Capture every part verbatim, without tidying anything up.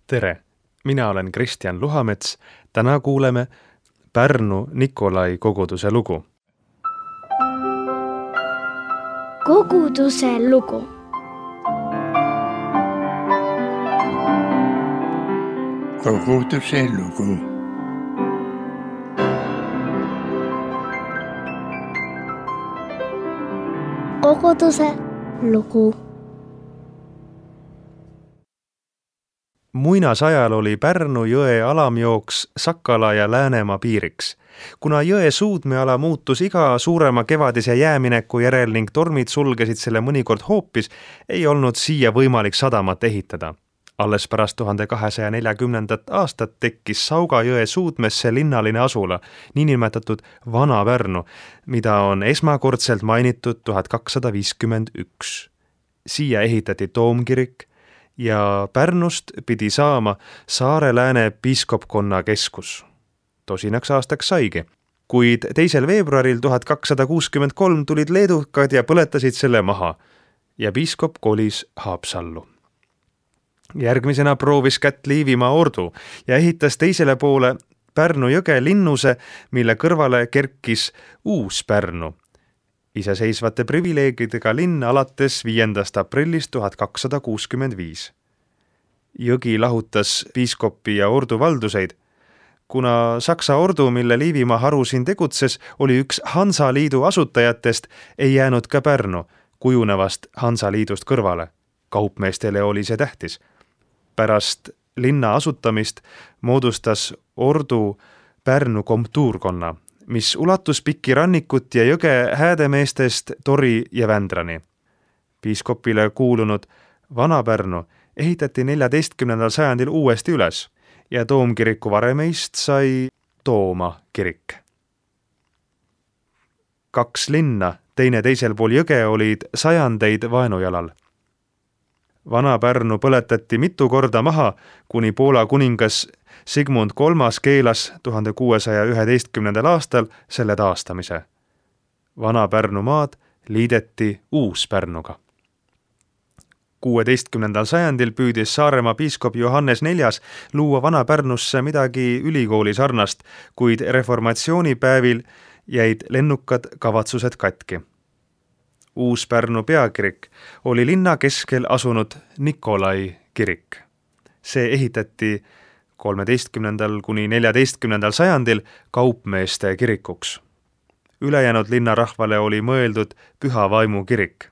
Tere! Mina olen Kristjan Luhamets. Täna kuuleme Pärnu Nikolai koguduse lugu. Koguduse lugu. Koguduse lugu. Koguduse lugu. Muinasajal oli Pärnu jõe alamjooks Sakala ja Läänemaa piiriks. Kuna jõe suudmeala muutus iga suurema kevadise jäämineku järel ning tormid sulgesid selle mõnikord hoopis, ei olnud siia võimalik sadamat ehitada. Alles pärast tuhande kahesaja neljakümnendat aastat tekkis Sauga jõe suudmesse linnaline asula, niinimetatud Vana Pärnu, mida on esmakordselt mainitud tuhat kakssada viiskümmend üks. Siia ehitati toomkirik ja Pärnust pidi saama Saare-Lääne piiskopkonna keskus. Tosinaks aastaks saigi, kuid teisel veebruaril tuhat kakssada kuuskümmend kolm tulid leedukad ja põletasid selle maha ja piiskop kolis Haapsallu. Järgmisena proovis kätt Liivimaa ordu ja ehitas teisele poole Pärnu jõge linnuse, mille kõrvale kerkis uus Pärnu. Iseseisvate privileegidega linn alates viiendast aprillist tuhat kakssada kuuskümmend viis. Jõgi lahutas piiskopi ja ordu valduseid. Kuna Saksa ordu, mille Liivimaa haru siin tegutses, oli üks Hansaliidu asutajatest, ei jäänud ka Pärnu kujunevast Hansaliidust kõrvale. Kaupmeestele oli see tähtis. Pärast linna asutamist moodustas ordu Pärnu komtuurkonna, mis ulatus pikki rannikut ja jõge häädemeestest Tori ja Vändrani. Piiskopile kuulunud Vana Pärnu ehitati neljateistkümnendal sajandil uuesti üles ja toomkiriku varemeist sai Tooma kirik. Kaks linna, teine teisel pool jõge, olid sajandeid vaenujalal. Vana Pärnu põletati mitu korda maha, kuni Poola kuningas Sigmund kolmas keelas tuhande kuuesaja üheteistkümnendal aastal selle taastamise. Vana Pärnu maad liideti Uus-Pärnuga. kuueteistkümnendal sajandil püüdis Saaremaa piiskop Johannes neljas luua Vana Pärnusse midagi ülikooli sarnast, kuid reformatsioonipäevil jäid lennukad kavatsused katki. Uus-Pärnu peakirik oli linna keskel asunud Nikolai kirik. See ehitati kolmeteistkümnendal kuni neljateistkümnendal sajandil kaupmeeste kirikuks. Ülejäänud linnarahvale oli mõeldud Püha Vaimu kirik.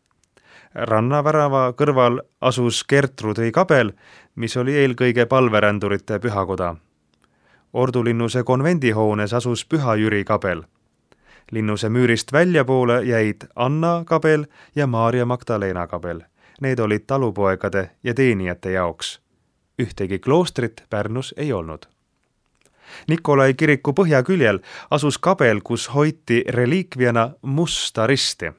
Rannavärava kõrval asus Gertrudi kabel, mis oli eelkõige palverändurite pühakoda. Ordulinnuse konvendihoones asus Püha Jüri kabel. Linnuse müürist väljapoole jäid Anna kabel ja Maarja Magdalena kabel. Need olid talupoegade ja teenijate jaoks. Ühtegi kloostrit Pärnus ei olnud. Nikolai kiriku põhjaküljel asus kabel, kus hoiti reliikviana musta risti.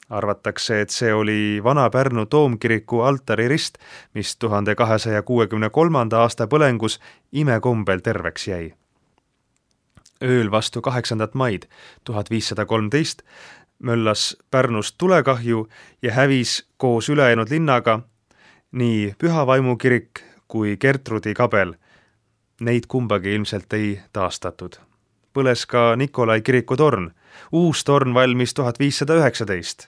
Arvatakse, et see oli Vana Pärnu toomkiriku altaririst, mis tuhande kahesaja kuuekümne kolmanda aasta põlengus imekombel terveks jäi. Ööl vastu kaheksandat maid tuhat viissada kolmteist möllas Pärnust tulekahju ja hävis koos ülejäänud linnaga nii Püha Vaimu kirik kui Gertrudi kabel. Neid kumbagi ilmselt ei taastatud. Põles ka Nikolai kiriku torn. Uus torn valmis tuhat viissada üheksateist.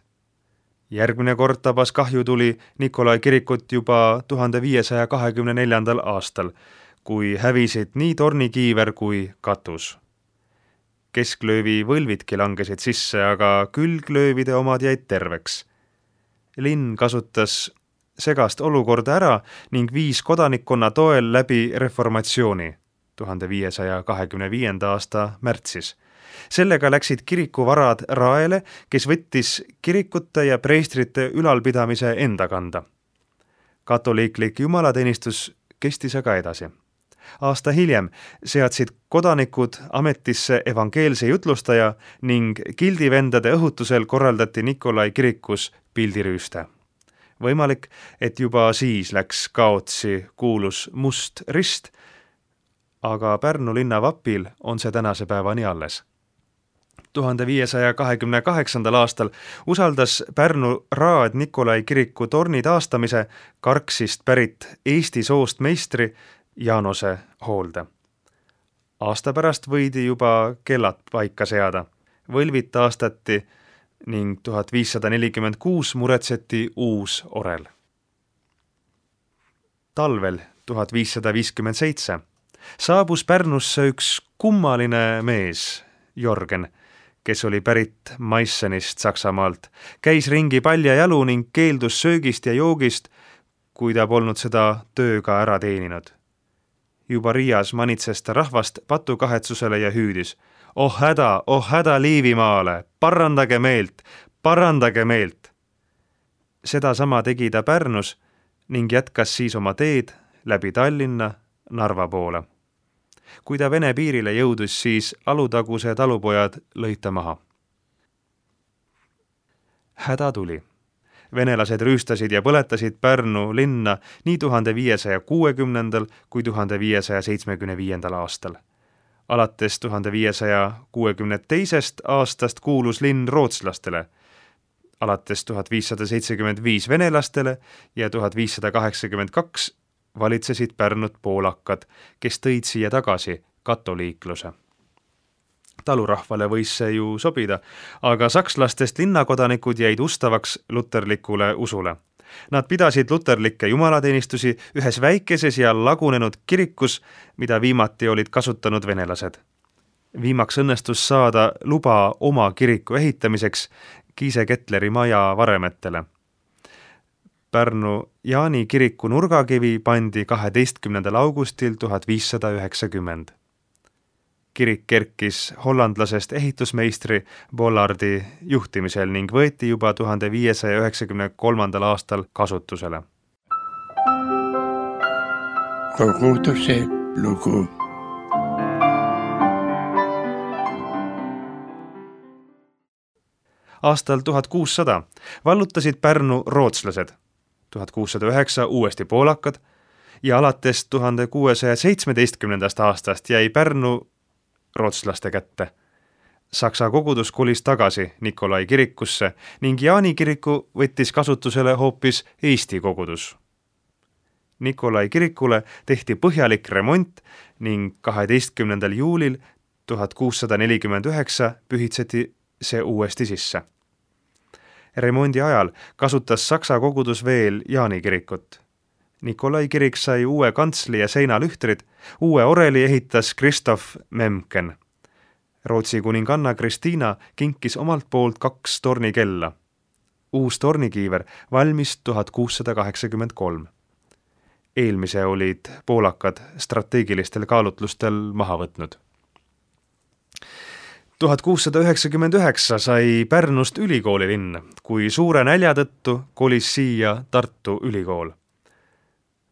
Järgmine kord tabas kahju tuli Nikolai kirikut juba tuhande viiesaja kahekümne neljandal aastal, kui hävisid nii tornikiiver kui katus. Kesklöövi võlvidki langesid sisse, aga külglöövide omad jäid terveks. Linn kasutas segast olukorda ära ning viis kodanikkonna toel läbi reformatsiooni tuhande viiesaja kahekümne viienda aasta märtsis. Sellega läksid kirikuvarad Raele, kes võttis kirikute ja preestrite ülalpidamise enda kanda. Katoliiklik jumalateenistus kestis aga edasi. Aasta hiljem seadsid kodanikud ametisse evangeelse jutlustaja ning gildivendade õhutusel korraldati Nikolai kirikus pildirüüste. Võimalik, et juba siis läks kaotsi kuulus must rist, aga Pärnu linna vapil on see tänase päevani alles. tuhande viiesaja kahekümne kaheksandal aastal usaldas Pärnu raad Nikolai kiriku torni taastamise Karksist pärit Eesti soost meistri Jaanose hoolde. Aasta pärast võidi juba kellad paika seada, võlvid taastati ning tuhat viissada nelikümmend kuus muretseti uus orel. Talvel tuhat viissada viiskümmend seitse saabus Pärnusse üks kummaline mees, Jorgen, kes oli pärit Maissenist Saksamaalt, käis ringi paljajalu ning keeldus söögist ja joogist, kui ta polnud seda tööga ära teeninud. Juba Riias manitses ta rahvast patukahetsusele ja hüüdis: oh häda, oh häda Liivimaale, parandage meelt, parandage meelt. Seda sama tegi ta Pärnus ning jätkas siis oma teed läbi Tallinna Narva poole. Kui ta Vene piirile jõudus, siis Alutaguse talupojad lõid ta maha. Häda tuli. Venelased rüüstasid ja põletasid Pärnu linna nii tuhande viiesaja kuuekümnendal kui tuhande viiesaja seitsmekümne viiendal aastal. Alates tuhande viiesaja kuuekümne teisest aastast kuulus linn rootslastele, alates tuhat viissada seitsekümmend viis venelastele ja tuhat viissada kaheksakümmend kaks valitsesid Pärnut poolakad, kes tõid siia tagasi katoliikluse. Talurahvale võis see ju sobida, aga sakslastest linnakodanikud jäid ustavaks luterlikule usule. Nad pidasid luterlikke jumalateenistusi ühes väikeses ja lagunenud kirikus, mida viimati olid kasutanud venelased. Viimaks õnnestus saada luba oma kiriku ehitamiseks Kiise Ketleri maja varemetele. Pärnu Jaani kiriku nurgakivi pandi kaheteistkümnendal augustil tuhat viissada üheksakümmend. Kirik kerkis hollandlasest ehitusmeistri Bollardi juhtimisel ning võeti juba tuhande viiesaja üheksakümne kolmandal aastal kasutusele. Koguduse lugu. Aastal tuhat kuussada vallutasid Pärnu rootslased, tuhat kuussada üheksa uuesti poolakad ja alates tuhande kuuesaja seitsmeteistkümnendast aastast jäi Pärnu rootslaste kätte. Saksa kogudus kolis tagasi Nikolai kirikusse ning Jaani kiriku võttis kasutusele hoopis Eesti kogudus. Nikolai kirikule tehti põhjalik remont ning kaheteistkümnendal juulil tuhat kuussada nelikümmend üheksa pühitseti see uuesti sisse. Remondi ajal kasutas Saksa kogudus veel Jaani kirikut. Nikolai kirik sai uue kantsli ja seinalühtrid, uue oreli ehitas Kristof Memken. Rootsi kuninganna Kristiina kinkis omalt poolt kaks tornikella. Uus tornikiiver valmis tuhat kuussada kaheksakümmend kolm. Eelmise olid poolakad strateegilistel kaalutlustel maha võtnud. tuhat kuussada üheksakümmend üheksa sai Pärnust ülikooli linn, kui suure nälja tõttu kolis siia Tartu ülikool.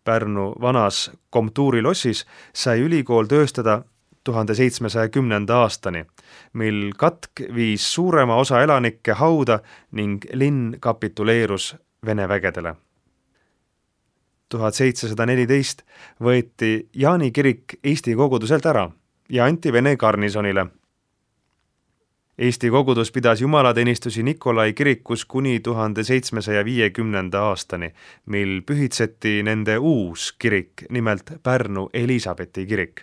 Pärnu vanas komtuurilossis sai ülikool tööstada tuhande seitsmesaja kümnenda aastani, mil katk viis suurema osa elanikke hauda ning linn kapituleerus Vene vägedele. tuhat seitsesada neliteist võeti Jaani kirik Eesti koguduselt ära ja anti Vene garnisonile. Eesti kogudus pidas jumalateenistusi Nikolai kirikus kuni tuhande seitsmesaja viiekümnenda aastani, mil pühitseti nende uus kirik, nimelt Pärnu Elisabethi kirik.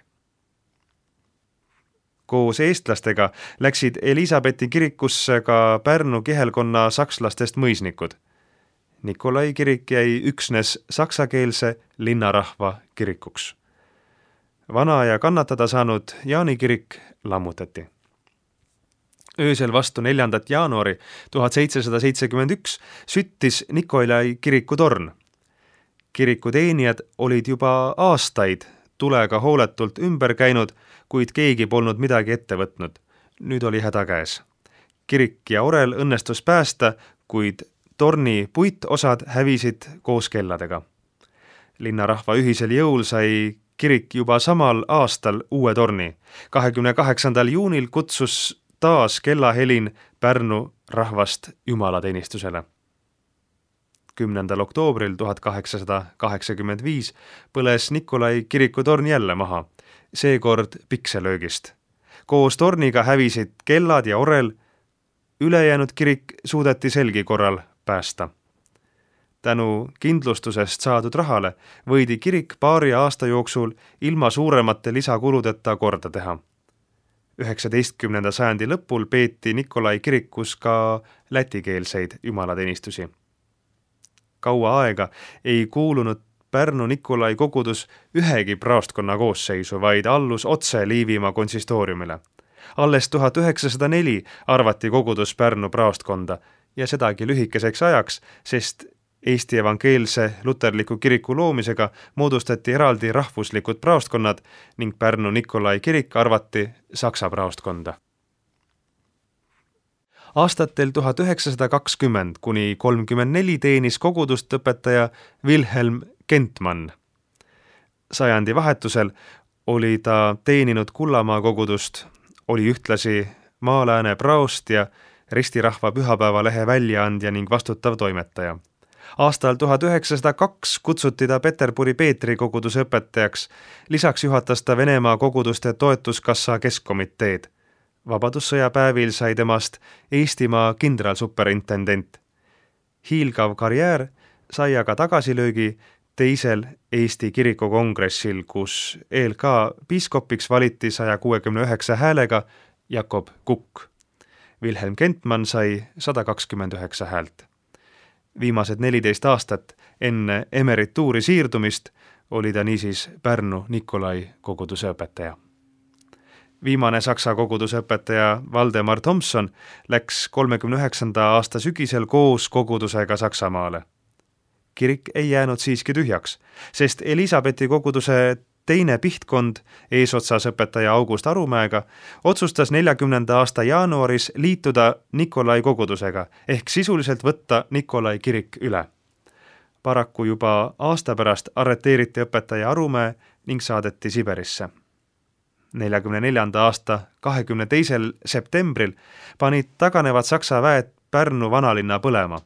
Koos eestlastega läksid Elisabethi kirikusse ka Pärnu kihelkonna sakslastest mõisnikud. Nikolai kirik jäi üksnes saksakeelse linnarahva kirikuks. Vana ja kannatada saanud Jaani kirik lammutati. Öösel vastu neljandat jaanuari tuhat seitsesada seitsekümmend üks süttis Nikolai kiriku torn. Kiriku teenijad olid juba aastaid tulega hooletult ümber käinud, kuid keegi polnud midagi ette võtnud. Nüüd oli häda käes. Kirik ja orel õnnestus päästa, kuid torni puitosad hävisid koos kelladega. Linnarahva ühisel jõul sai kirik juba samal aastal uue torni. kahekümne kaheksandal juunil kutsus taas kellahelin Pärnu rahvast jumalateenistusele. kümnendal oktoobril tuhat kaheksasada kaheksakümmend viis põles Nikolai kiriku torn jälle maha, seekord pikselöögist. Koos torniga hävisid kellad ja orel, ülejäänud kirik suudeti selgi korral päästa. Tänu kindlustusest saadud rahale võidi kirik paari aasta jooksul ilma suuremate lisakuludeta korda teha. üheksateistkümnenda sajandi lõpul peeti Nikolai kirikus ka lätikeelseid jumalateenistusi. Kaua aega ei kuulunud Pärnu Nikolai kogudus ühegi praostkonna koosseisu, vaid allus otse Liivimaa konsistooriumile. Alles tuhat üheksasada neli arvati kogudus Pärnu praostkonda ja sedagi lühikeseks ajaks, sest Eesti evangeelse luterliku kiriku loomisega moodustati eraldi rahvuslikud praostkonnad ning Pärnu Nikolai kirik arvati Saksa praostkonda. Aastatel tuhat üheksasada kakskümmend kuni kolmkümmend neli teenis kogudust õpetaja Wilhelm Kentmann. Sajandi vahetusel oli ta teeninud Kullamaa kogudust, oli ühtlasi Maalääne praost ja Ristirahva pühapäevalehe väljaandja ning vastutav toimetaja. Aastal tuhat üheksasada kaks kutsuti ta Peterburi Peetri koguduse õpetajaks, lisaks juhatas ta Venemaa koguduste toetuskassa keskkomiteed. Vabadussõja päevil sai temast Eestimaa kindralsuperintendent. Hiilgav karjäär sai aga tagasilöögi teisel Eesti kirikukongressil, kus E L K piiskopiks valiti saja kuuekümne üheksa häälega Jakob Kukk. Wilhelm Kentmann sai sada kakskümmend üheksa häält. Viimased neliteist aastat enne emerituuri siirdumist oli ta niisiis Pärnu Nikolai koguduse õpetaja. Viimane Saksa koguduse õpetaja Valdemar Thomson läks kolmekümne üheksanda aasta sügisel koos kogudusega Saksamaale. Kirik ei jäänud siiski tühjaks, sest Elisabethi koguduse teine pihtkond eesotsas õpetaja August Arumäega otsustas neljakümnenda aasta jaanuaris liituda Nikolai kogudusega ehk sisuliselt võtta Nikolai kirik üle. Paraku juba aasta pärast arreteeriti õpetaja Arumäe ning saadeti Siberisse. neljakümne neljanda aasta kahekümne teisel septembril panid taganevad Saksa väed Pärnu vanalinna põlema.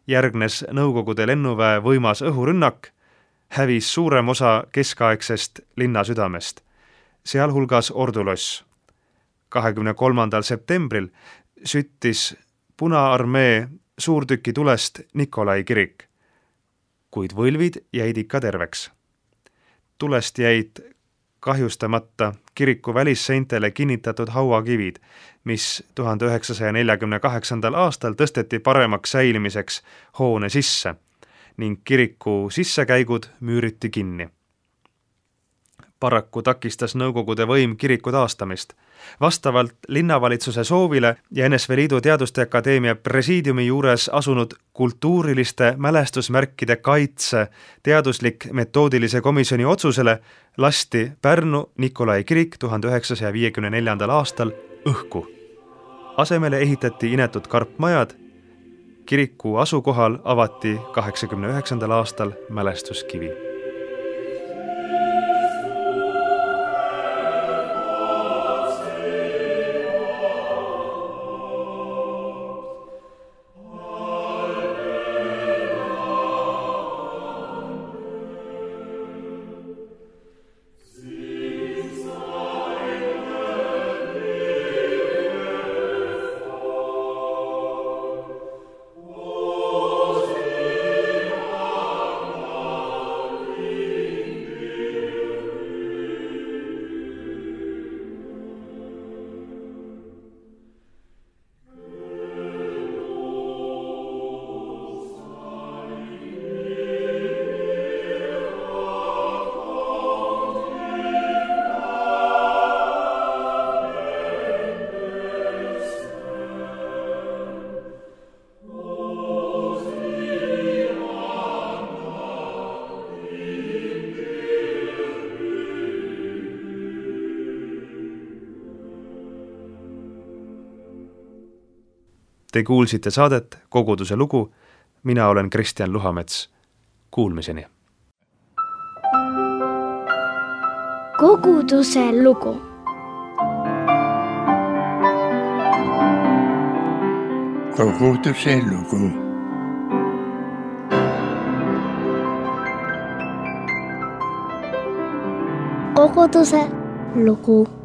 Järgnes Nõukogude lennuväe võimas õhurünnak, hävis suurem osa keskaegsest linna südamest, sealhulgas Orduloss. kahekümne kolmandal septembril süttis Punaarmee suurtüki tulest Nikolai kirik, kuid võlvid jäid ikka terveks. Tulest jäid kahjustamata kiriku välisseintele kinnitatud hauakivid, mis tuhande üheksasaja neljakümne kaheksandal aastal tõsteti paremaks säilimiseks hoone sisse ning kiriku sissekäigud müüriti kinni. Paraku takistas Nõukogude võim kiriku taastamist. Vastavalt linnavalitsuse soovile ja N S V Liidu Teaduste Akadeemia presiidiumi juures asunud kultuuriliste mälestusmärkide kaitse teaduslik metoodilise komisjoni otsusele lasti Pärnu Nikolai kirik tuhande üheksasaja viiekümne neljandal aastal õhku. Asemele ehitati inetud karpmajad. Kiriku asukohal avati kaheksakümne üheksandal aastal mälestuskivi. Te kuulsite saadet Koguduse lugu. Mina olen Kristjan Luhamets. Kuulmiseni. Koguduse lugu. Koguduse lugu. Koguduse lugu.